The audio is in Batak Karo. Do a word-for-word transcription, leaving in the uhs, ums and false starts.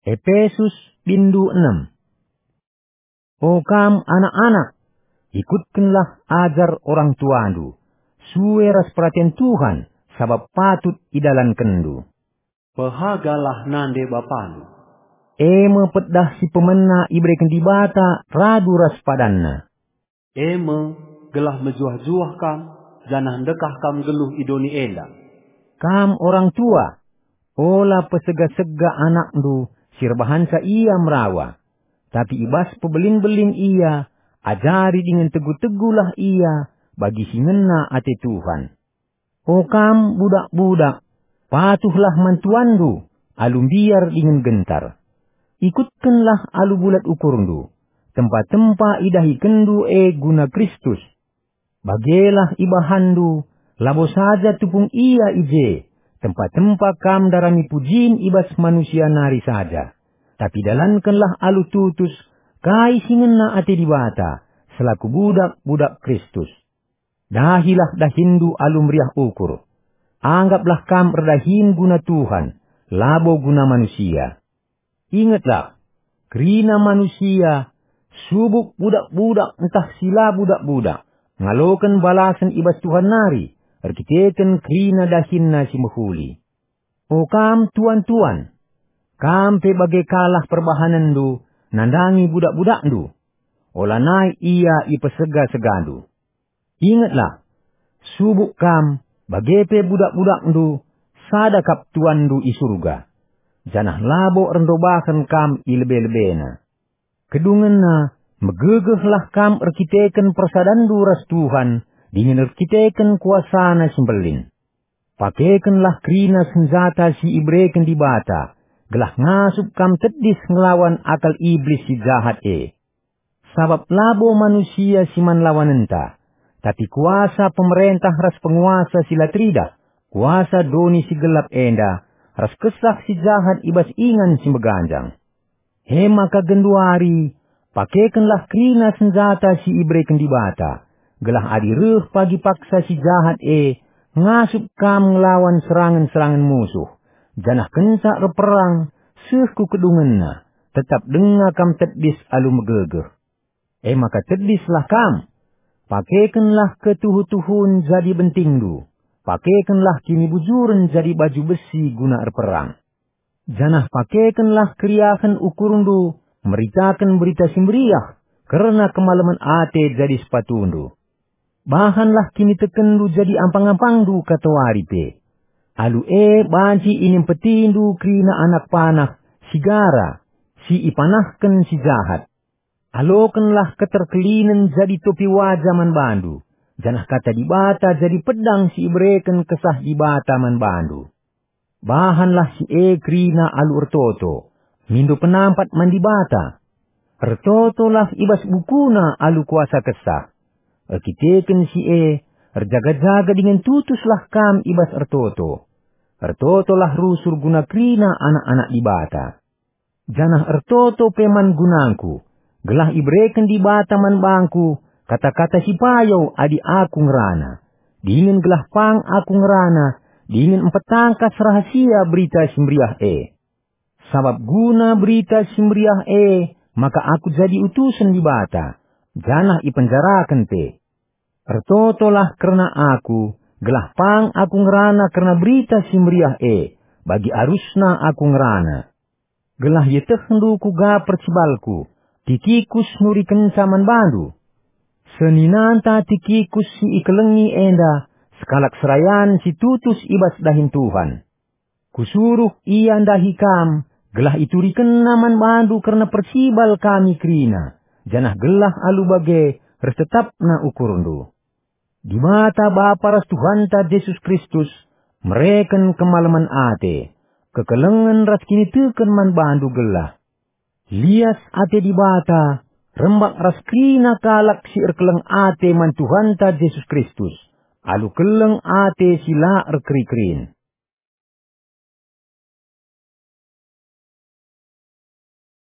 Epesus, bindu enem. O kam anak-anak, ikutkenlah ajar orang tuandu, sue ras peraten Tuhan, sabap patut idalankenndu. Pehagalah nande bapandu. E me pedah si pemena ibereken Dibata radu ras padanNa. E me, gelah mejuah-juah kam, janah ndekah kam nggeluh i doni enda. Kam orang tua, ola pesega-sega anakndu si erbahanca ia merawa, tapi i bas pebelin-belin ia, ajari dingen tegu-tegulah ia bagi si ngena ate Tuhan. O kam budak-budak, patuhlah man tuanndu alu mbiar dingen gentar. Ikutkenlah alu bulat ukurndu, tempa-tempa idahikenndu e guna Kristus. Bagelah ibahanndu, labo saja tupung ia i je, tempa-tempa kam ndarami pujin i bas manusia nari saja, tapi dalankenlah alu tutus kai si ngena ate Dibata selaku budak-budak Kristus. Dahilah dahinndu alu meriah ukur. Anggaplah kam erdahin guna Tuhan, labo guna manusia. Ingetlah, kerina manusia, subuk budak-budak ntah si la budak-budak, ngaloken balasen i bas Tuhan nari, erkiteken kerina dahinna si mehuli. O kam tuan-tuan, kam pe bage kalah perbahanenndu nandangi budak-budakndu. Olanai ia ipesega-segandu. Ingetlah, subuk kam, bage pe budak-budakndu, sada kap Tuanndu i Surga, janah labo erndobahen kam i lebe-lebeNa. Kedungenna, megegehlah kam erkiteken persadanndu ras Tuhan dingen erkiteken kuasaNa si mbelin. Pakekenlah kerina senjata si ibereken Dibata, gelah ngasup kam tedis ngelawan akal Iblis si jahat e. Sabap labo manusia si man lawanenta, tapi kuasa pemerentah ras penguasa si la teridah, kuasa doni si gelap enda, ras kesah si jahat i bas ingan si meganjang. E maka genduari, pakekenlah kerina senjata si ibereken Dibata, gelah adi reh pagi paksa si jahat e, ngasup kam ngelawan serangen-serangen musuh, janah kenca erperang, seh ku kedungenna, tetap denga kam tedis alu megegeh. E maka tedislah kam. Pakekenlah ketuhu-tuhun jadi bentingndu. Pakekenlah kinibujuren jadi baju besi guna erperang. Janah pakekenlah keriahen ukurndu meritaken Berita Si Meriah kerna kemalemen ate jadi sepatundu. Bahanlah kinitekenndu jadi ampang-ampangndu katawari pe. Alu e banci inimpetindu kerina anak panah si gara, si ipanahken si jahat. Alokenlah keterkelinen jadi topi waja man bandu, janah Kata Dibata jadi pedang si ibereken Kesah Dibata man bandu. Bahanlah si e kerina alu ertoto, mindo penampat man Dibata. Ertotolah i bas bukuna alu kuasa Kesah. Erkiteken si e, erjaga-jaga dingen tutuslah kam i bas ertoto. Ertotolah rusur guna kerina anak-anak Dibata. Janah ertoto pe man gunangku, gelah ibereken Dibata man bangku kata-kata si payau adi aku ngerana, dingen gelah pang aku ngerana, dingen mpetangkas rahasia Berita Si Meriah e. Sabap guna Berita Si Meriah e maka aku jadi utusen Dibata, janah ipenjaraken pe. Ertotolah kerna aku, gelah pang aku ngerana kerna Berita Si Meriah e, bagi arusna aku ngerana. Gelah ietehndu kuga percibalku, Tikikus nurikenca man bandu. Seninanta Tikikus si ikelengi enda, sekalak serayan si tutus i bas dahin Tuhan. Kusuruh ia ndahi kam, gelah iturikenna man bandu kerna percibal kami kerina, janah gelah alu bage ertetapna ukurndu. Dibata Bapa ras Tuhanta Jesus Kristus mereken kemalemen ate, kekelengen ras kiniteken man bandu gelah. Lias ate Dibata rembak ras kerina kalak si erkeleng ate man Tuhanta Jesus Kristus, alu keleng ate si la erkeri-kerin.